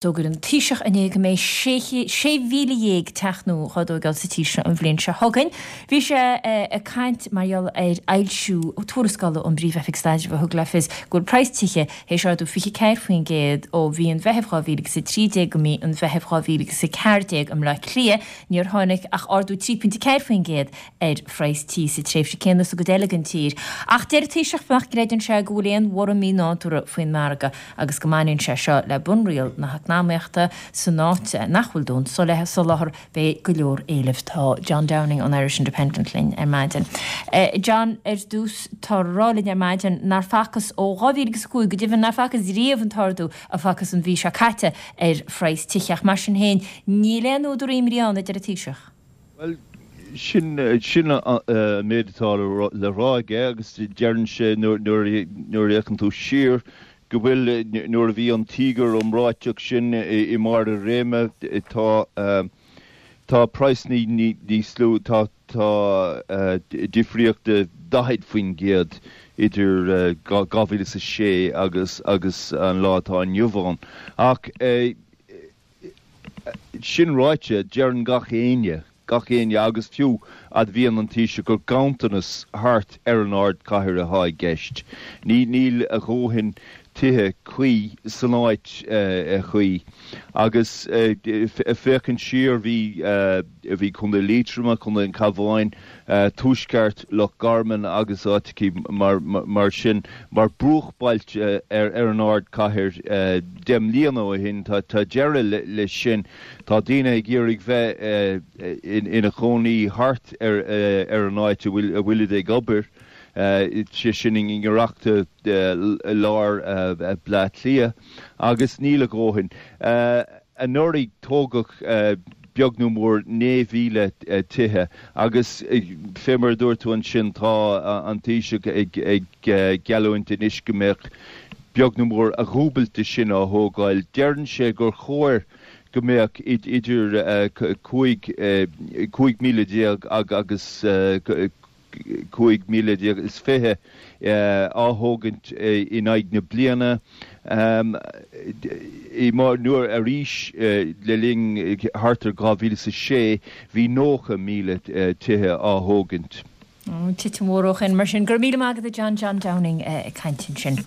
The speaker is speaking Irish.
D'fhógair an Taoiseach inné go mbeidh 16,000 teach nua á dtóigeáil sa tír seo an bhliain seo chugainn. Bhí sé ag caint mar gheall ar fhoilsiú tuarascála ón bPríomh-Oifig Staidrimh a thug le fios go bhfuil praghas tithe théis ardú 24% ó mhí an Mheithimh 2013 go mí an Mheithimh 2014 i mBleá Cliath. Níor tháinig ach ardú 3.4% ar phraghas tí sa tréimhse céanna sa gcuid eile den tír. Ach deir an Taoiseach nach gcreideann sé go bhfuil aon bhorradh mínádúrtha faoin margadh agus go mbaineann sé seo le bunriail na heacnamaíochta, san áit nach bhfuil dóthain soláthair, beidh go leor éilimh. Tá John Downing ón Irish Independent linn ar maidin. John, ar dtús, tá a rá linn ar maidin nár facthas ó 2005, go deimhin nár facthas riamh an t-ardú a facthas an mhí seo caite ar phraghas tithe ach mar sin féin níl aon údar imní ann, a deir an Taoiseach. Bhuel, sin sin an méid atá le rá aige agus deireann sé nuair a fhéachann tú siar go bhfuil, nuair a bhí an tíogar iomráiteach sin i mbarr a réime, tá tá praghsanna níos lú, tá tá difríocht de 40% idir 2006 agus agus an lá atá inniu ann. Ach. Sin ráite, deireann gach éinne, gach éinne agus fiú admhaíonn an Taoiseach gur ganntanas thart ar an ardchathair atá i gceist. Ní, níl a dhóthain tithe cuí san áit chuí. Agus féachaint siar, bhí, bhí Contae Liatroma, Contae an Chabháin, tuaisceart Loch Garman agus áiteachaí mar sin mar bruachbhailte ar an ardchathair 10 mbliana ó shin. Tá deireadh leis sin. Tá daoine ag iarraidh bheith ina chónaí thart ar an áit a bhfuilid ag obair, sé sin i ngiorracht lár Bleá Cliath, agus níl a dhóthain. Anuraidh tógadh beag nó mór 9,000 tithe agus fé mar a dúirt tú ansin tá an Taoiseach ag geallúint anois go mbeadh beag nó mór a dhúbailt de sin á thógáil. Deireann sé gur chóir go mbeadh idir 15,000 agus 15,020 á thógaint in aghaidh na bliana. Nuair arís le linn thart ar 2006 bhí 90,000 tithe á thógaint. Titim mhór ó shin mar sin. Go raibh míle maith agat a John, John Downing ag caint ansin.